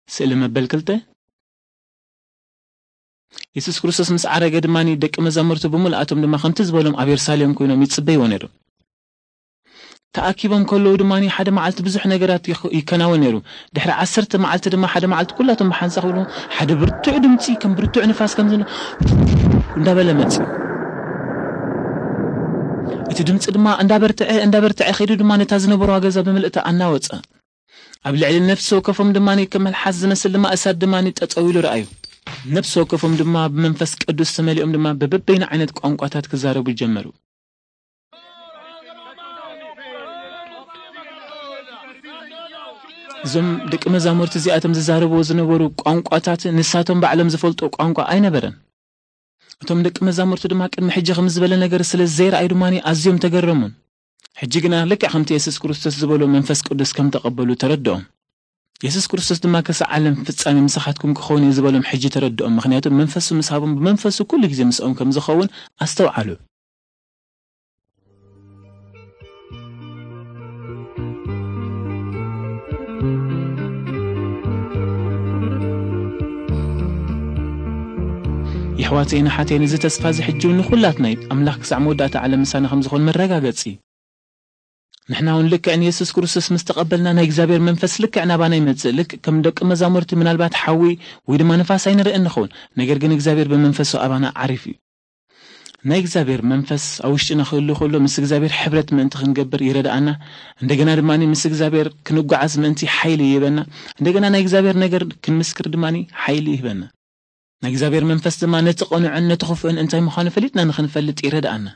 ስእሊ መበል ክልተ። የሱስ ክርስቶስ ምስ ዓረገ ድማ ደቂ መዛሙርቱ ብምልኣቶም ድማ ከምቲ ዝበሎም ኣብ የሩሳሌም ኮይኖም ይጽበይዎ ነይሮም። ተኣኪቦም ከለዉ ድማ ሓደ መዓልቲ ብዙሕ ነገራት ይኸ- ይከናወን ነይሩ። ድሕሪ ዓሰርተ መዓልቲ ድማ ሓደ መዓልቲ ኩላቶም ብሓንሳ ክብሉ ሓደ ብርቱዕ ድምፂ ከም ብርቱዕ ንፋስ ከም ዝነ እንዳበለ መጽ እቲ ድምፂ ድማ እንዳበርትዐ እንዳበርትዐ ከይዱ ድማ ነታ ዝነበርዋ ገዛ ብምልእታ ኣናወፀ። ኣብ ልዕሊ ነፍሲ ወከፎም ድማ ከም መልሓስ ዝመስል ድማ እሳት ድማ ጠጠው ኢሉ ረኣዩ። ነፍሲ ወከፎም ድማ ብመንፈስ ቅዱስ ተመሊኦም ድማ በበበይኑ ዓይነት ቋንቋታት ክዛረቡ ጀመሩ። እዞም ደቂ መዛሙርቲ እዚኣቶም ዝዛረብዎ ዝነበሩ ቋንቋታት ንሳቶም ባዕሎም ዝፈልጦ ቋንቋ ኣይነበረን። እቶም ደቂ መዛሙርቲ ድማ ቅድሚ ሕጂ ከም ዝበለ ነገር ስለ ዘይረኣዩ ድማ ኣዝዮም ተገረሙን። ሕጂ ግና ልክዕ ከምቲ የሱስ ክርስቶስ ዝበሎ መንፈስ ቅዱስ ከም ተቐበሉ ተረድኦም። የሱስ ክርስቶስ ድማ ክሳዕ ዓለም ፍጻሜ ምሳኻትኩም ክኸውን እዩ ዝበሎም ሕጂ ተረድኦም። ምኽንያቱ መንፈሱ ምስ ሃቦም ብመንፈሱ ኩሉ ግዜ ምስኦም ከም ዝኸውን ኣስተውዓሉ። የሕዋተይን ኣሓተይን እዚ ተስፋ እዚ ሕጂ እውን ንኹላትና እዩ። ኣምላኽ ክሳዕ መወዳእታ ዓለም ምሳና ከም ዝኾን መረጋገጺ እዩ። ንሕና እውን ልክዕ ንየሱስ ክርስቶስ ምስ ተቐበልና ናይ እግዚኣብሔር መንፈስ ልክዕ ናባና ይመጽእ። ልክዕ ከም ደቂ መዛሙርቲ ምናልባት ሓዊ ወይ ድማ ንፋስ ኣይንርእን ንኸውን፣ ነገር ግን እግዚኣብሔር ብመንፈሱ ኣባና ዓሪፍ እዩ። ናይ እግዚኣብሔር መንፈስ ኣብ ውሽጥና ክህሉ ከሎ ምስ እግዚኣብሔር ሕብረት ምእንቲ ክንገብር ይረድኣና። እንደገና ድማ ምስ እግዚኣብሔር ክንጓዓዝ ምእንቲ ሓይሊ ይህበና። እንደገና ናይ እግዚኣብሔር ነገር ክንምስክር ድማ ሓይሊ ይህበና። ናይ እግዚኣብሔር መንፈስ ድማ ነቲ ቅኑዕን ነቲ ክፉእን እንታይ ምዃኑ ፈሊጥና ንኽንፈልጥ ይረድኣና።